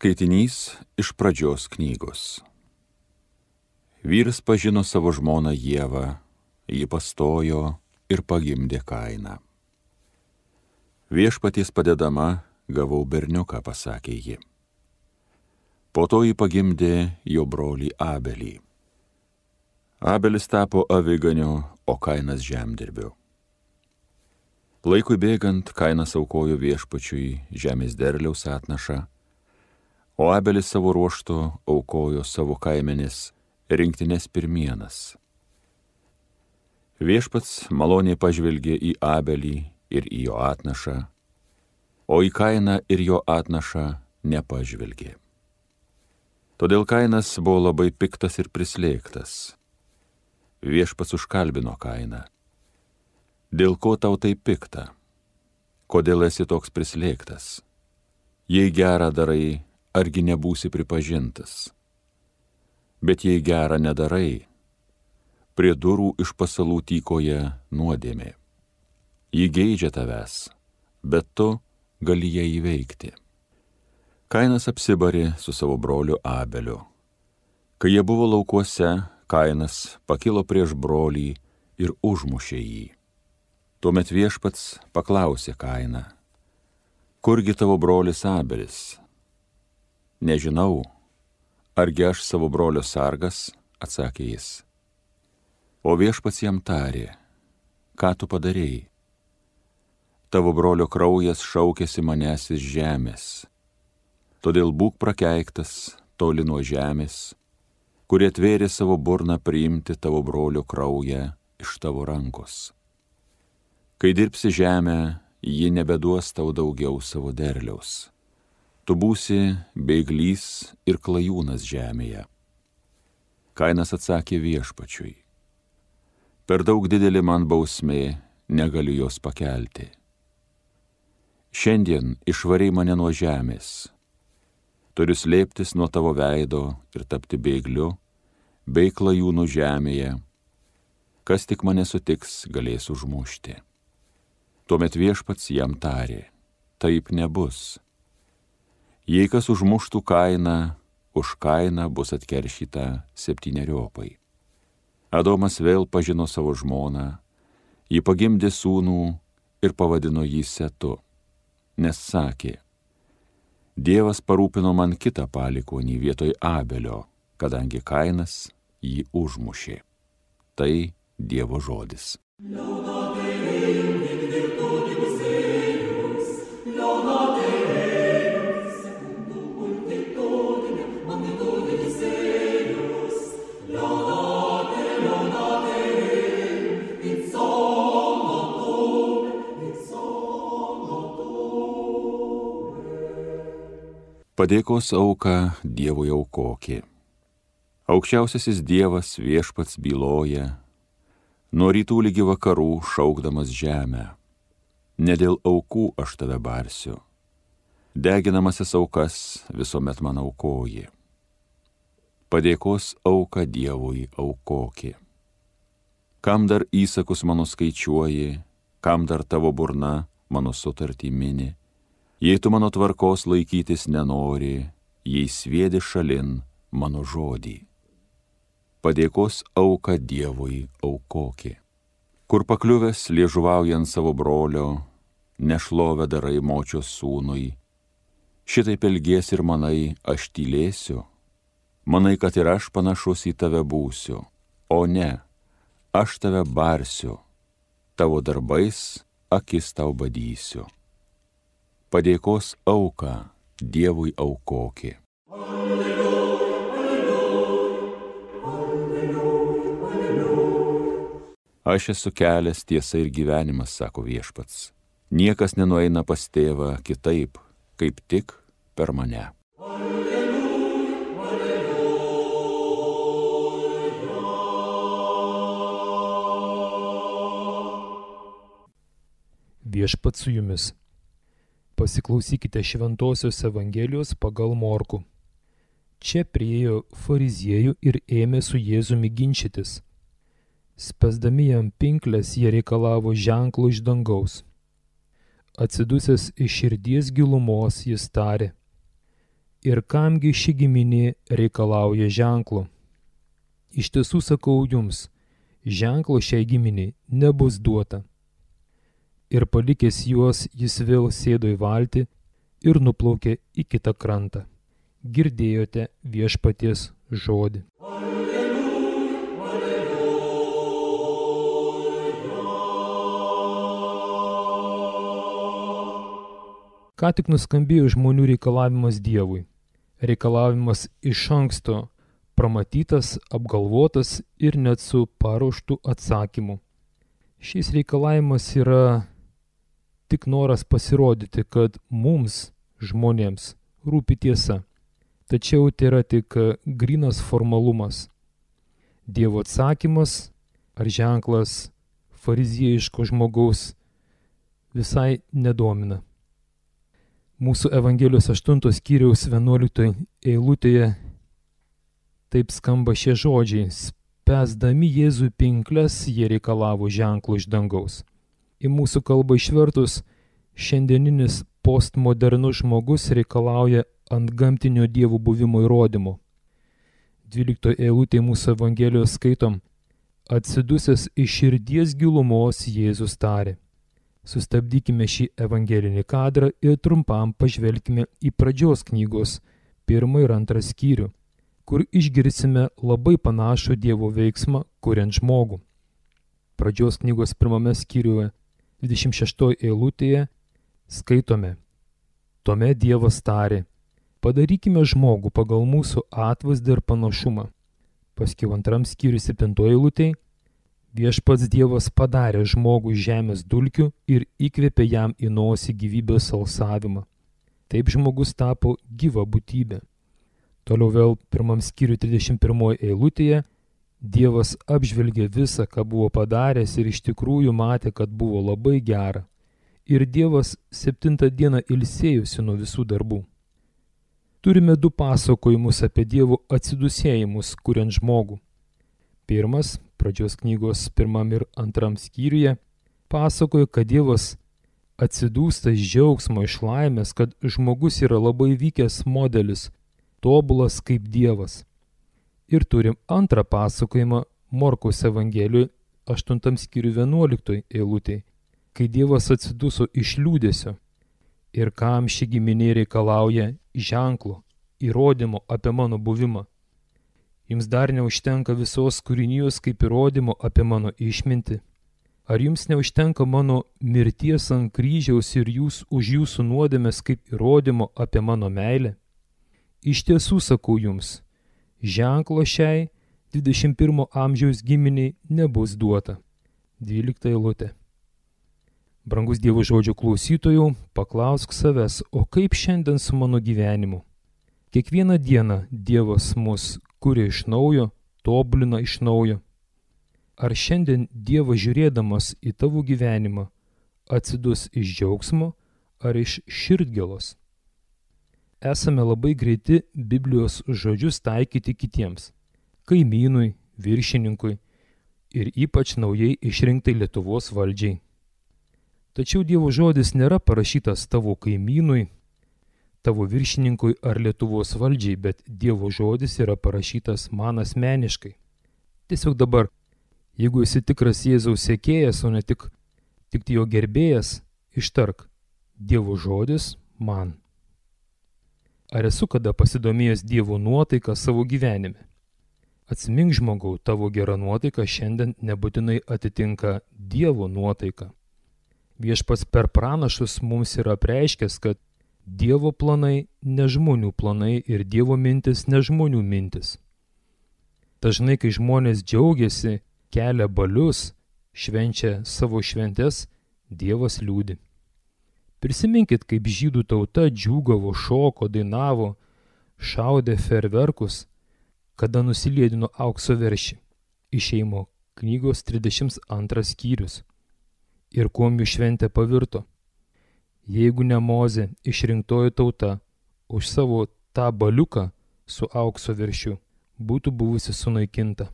Skaitinys iš pradžios knygos. Vyras pažino savo žmoną Ievą, ji pastojo ir pagimdė Kainą. Viešpaties padedama gavau berniuką, pasakė ji. Po to ji pagimdė jo brolį Abelį. Abelis tapo aviganiu, o Kainas žemdirbiu. Laikui bėgant, Kainas aukojo viešpačiui žemės derliaus atnašą, o Abelis savo ruožtu aukojo savo kaimenės rinktinės pirmienas. Viešpats maloniai pažvelgė į Abelį ir į jo atnašą, o į Kainą ir jo atnašą nepažvelgė. Todėl Kainas buvo labai piktas ir prislėgtas. Viešpats užkalbino Kainą. Dėl ko tau tai pikta? Kodėl esi toks prislėgtas? Jei gerą darai, argi nebūsi pripažintas? Bet jei gerą nedarai, prie durų iš pasalų tykoja nuodėmė. Ji geidžia tavęs, bet tu gali ją įveikti. Kainas apsibarė su savo broliu Abeliu. Kai jie buvo laukuose, Kainas pakilo prieš brolį ir užmušė jį. Tuomet viešpats paklausė Kainą, kurgi tavo brolis Abelis? Nežinau, argi aš savo brolio sargas, atsakė jis. O viešpats jam tarė, ką tu padarėjai? Tavo brolio kraujas šaukėsi manęs iš žemės. Todėl būk prakeiktas toli nuo žemės, kurie atvėrė savo burną priimti tavo brolio kraują iš tavo rankos. Kai dirbsi žemę, ji nebeduos tau daugiau savo derliaus. Tu būsi bėglys ir klajūnas žemėje. Kainas atsakė viešpačiui, per daug didelė man bausmė, negaliu jos pakelti. Šiandien išvarei mane nuo žemės. Turiu slėptis nuo tavo veido ir tapti bėgliu, bei klajūnų žemėje. Kas tik mane sutiks, galės užmušti. Tuomet viešpats jam tarė, taip nebus. Jei kas užmuštų Kainą, už Kainą bus atkeršyta 7. Adomas vėl pažino savo žmoną, ji pagimdė sūnų ir pavadino jį Setu, nes sakė, Dievas parūpino man kitą palikuonį vietoj Abelio, kadangi Kainas jį užmušė. Tai Dievo žodis. Padėkos auką Dievui aukokė. Aukščiausiasis Dievas viešpats byloja, nuo rytų lygi vakarų šaukdamas žemę. Ne dėl aukų aš tave barsiu, deginamasis aukas visuomet man aukoji. Padėkos auką Dievui aukokė. Kam dar įsakus mano skaičiuoji, kam dar tavo burna mano sutartį mini? Jei tu mano tvarkos laikytis nenori, jei sviedi šalin mano žodį. Padėkos auką Dievui aukokė. Kur pakliuvęs liežuvaujant savo brolio, nešlovę darai močios sūnui. Šitaip elgies ir manai, aš tylėsiu. Manai, kad ir aš panašus į tave būsiu. O ne, aš tave barsiu. Tavo darbais akis tau badysiu. Padėkos auką Dievui aukokė. Aš esu kelias, tiesa ir gyvenimas, sako viešpats. Niekas nenueina pas tėvą kitaip, kaip tik per mane. Viešpats su jumis. Pasiklausykite Šventosios Evangelijos pagal Morkų. Čia priėjo fariziejų ir ėmė su Jėzumi ginčytis. Spęsdami jam pinkles, jie reikalavo ženklo iš dangaus. Atsidusęs iš širdies gilumos jis tarė, Ir kamgi ši giminė reikalauja ženklo? Iš tiesų sakau jums, ženklo šiai giminiai nebus duota. Ir palikęs juos, jis vėl sėdo į valtį ir nuplaukė į kitą krantą. Girdėjote viešpaties žodį. Ką tik nuskambėjo žmonių reikalavimas Dievui. Reikalavimas iš anksto, pramatytas, apgalvotas ir net su paruoštu atsakymu. Šis reikalavimas yra tik noras pasirodyti, kad mums, žmonėms, rūpi tiesa. Tačiau tai yra tik grynas formalumas. Dievo atsakymas ar ženklas fariziejiško žmogaus visai nedomina. Mūsų Evangelijos 8 skyriaus 11 eilutėje taip skamba šie žodžiai. Spęsdami Jėzui pinkles, jie reikalavo ženklo iš dangaus. Į mūsų kalbą išvertus, šiandieninis postmodernus žmogus reikalauja antgamtinio Dievo buvimo įrodymo. 12 eilutėje mūsų Evangelijos skaitom: Atsidusęs iš širdies gilumos Jėzus tarė. Sustabdykime šį evangelinį kadrą ir trumpam pažvelkime į pradžios knygos 1 ir 2 skyrių, kur išgirsime labai panašų Dievo veiksmą, kuriant žmogų. Pradžios knygos 1 skyriuje 26 eilutėje skaitome: Tuomet Dievas tarė, padarykime žmogų pagal mūsų atvaizdą ir panašumą. Paskiau 2 skyriui 7 eilutėje: Viešpats Dievas padarė žmogų žemės dulkių ir įkvėpė jam į nosį gyvybės alsavimą. Taip žmogus tapo gyva būtybė. Toliau vėl 1 skyriui 31 eilutėje Dievas apžvelgė visą, ką buvo padaręs ir iš tikrųjų matė, kad buvo labai gera. Ir Dievas 7 dieną ilsėjosi nuo visų darbų. Turime 2 pasakojimus apie Dievo atsidusėjimus, kuriant žmogų. Pirmas, pradžios knygos 1 ir 2 skyriuje, pasakoja, kad Dievas atsidūsta iš džiaugsmo, iš laimės, kad žmogus yra labai vykęs modelis, tobulas kaip Dievas. Ir turim antrą pasakojimą Morkaus Evangelijoje 8 skyriui 11 eilutėje, kai Dievas atsiduso iš liūdesio. Ir kam ši giminė reikalauja ženklo, įrodymo apie mano buvimą. Jums dar neužtenka visos kūrinijos kaip įrodymo apie mano išmintį? Ar jums neužtenka mano mirties ant kryžiaus ir už jūsų nuodėmes kaip įrodymo apie mano meilę? Iš tiesų sakau jums, ženklo šiai 21 amžiaus giminiai nebus duota. 12 eilutė. Brangus Dievo žodžio klausytojų, paklausk savęs, o kaip šiandien su mano gyvenimu? Kiekvieną dieną Dievas mus kuria iš naujo, tobulina iš naujo. Ar šiandien Dievas žiūrėdamas į tavo gyvenimą atsidus iš džiaugsmo ar iš širdgėlos? Esame labai greiti Biblijos žodžius taikyti kitiems – kaimynui, viršininkui ir ypač naujai išrinktai Lietuvos valdžiai. Tačiau Dievo žodis nėra parašytas tavo kaimynui, tavo viršininkui ar Lietuvos valdžiai, bet Dievo žodis yra parašytas man asmeniškai. Tiesiog dabar, jeigu esi tikras Jėzaus sekėjas, o ne tik jo gerbėjas, ištark: Dievo žodis man. Ar esu kada pasidomėjęs Dievo nuotaiką savo gyvenime? Atsimink žmogau, tavo gera nuotaika šiandien nebūtinai atitinka Dievo nuotaiką. Viešpats per pranašus mums yra apreiškęs, kad Dievo planai ne žmonių planai ir Dievo mintis ne žmonių mintis. Dažnai, kai žmonės džiaugiasi, kelia balius, švenčia savo šventes, Dievas liūdi. Prisiminkit, kaip žydų tauta džiūgavo, šoko, dainavo, šaudė ferverkus, kada nusiliedino aukso veršį. Išėjimo knygos 32 skyrius. Ir kuom jų šventė pavirto? Jeigu ne Mozė, išrinktoji tauta, už savo tą baliuką su aukso veršiu būtų buvusi sunaikinta.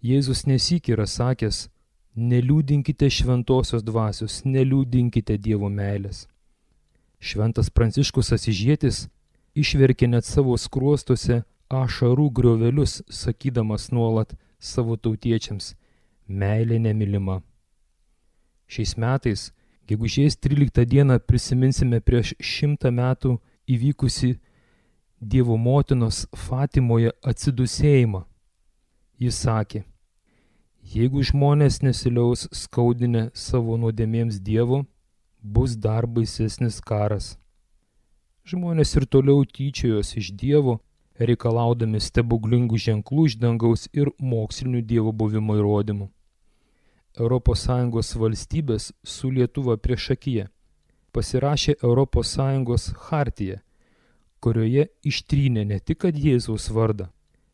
Jėzus nesyk yra sakęs: neliūdinkite šventosios dvasios, neliūdinkite Dievo meilės. Šventas Pranciškus Asyžietis išverkė net savo skruostuose ašarų griovelius, sakydamas nuolat savo tautiečiams: meilė nemylima. Šiais metais, gegužės 13 dieną, prisiminsime prieš 100 metų įvykusi Dievo motinos Fatimoje atsidūsėjimą. Jis sakė: jeigu žmonės nesiliaus skaudinę savo nuodėmėms Dievo, bus dar baisesnis karas. Žmonės ir toliau tyčiojos iš Dievo, reikalaudami stebuklingų ženklų iš dangaus ir mokslinių Dievo buvimo įrodymų. ES valstybės su Lietuva priešakyje pasirašė ES chartiją, kurioje ištrynė ne tik kad Jėzaus vardą,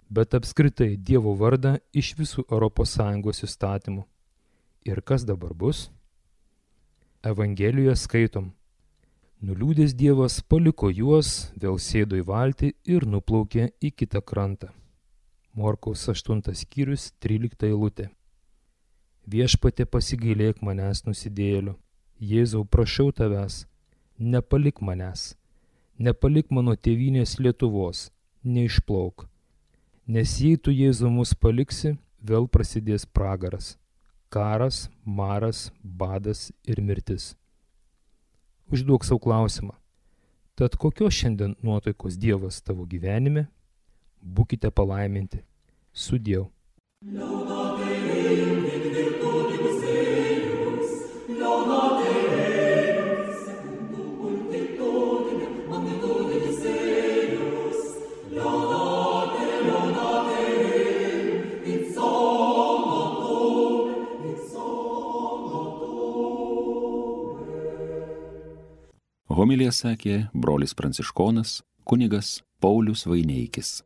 bet apskritai Dievo vardą iš visų ES įstatymų. Ir kas dabar bus? Evangelijoje skaitom: nuliūdęs Dievas paliko juos, vėl sėdo į valtį ir nuplaukė į kitą krantą. Morkaus 8 skyrius 13 eilutė. Viešpatie, pasigailėk manęs nusidėjėlių. Jėzau, prašau tavęs, nepalik manęs, nepalik mano tėvynės Lietuvos, neišplauk. Nes jei tu, Jėzau, mus paliksi, vėl prasidės pragaras, karas, maras, badas ir mirtis. Užduok savo klausimą: tad kokios šiandien nuotaikos Dievas tavo gyvenime? Būkite palaiminti. Sudieu. Homiliją sakė brolis pranciškonas kunigas Paulius Vaineikis.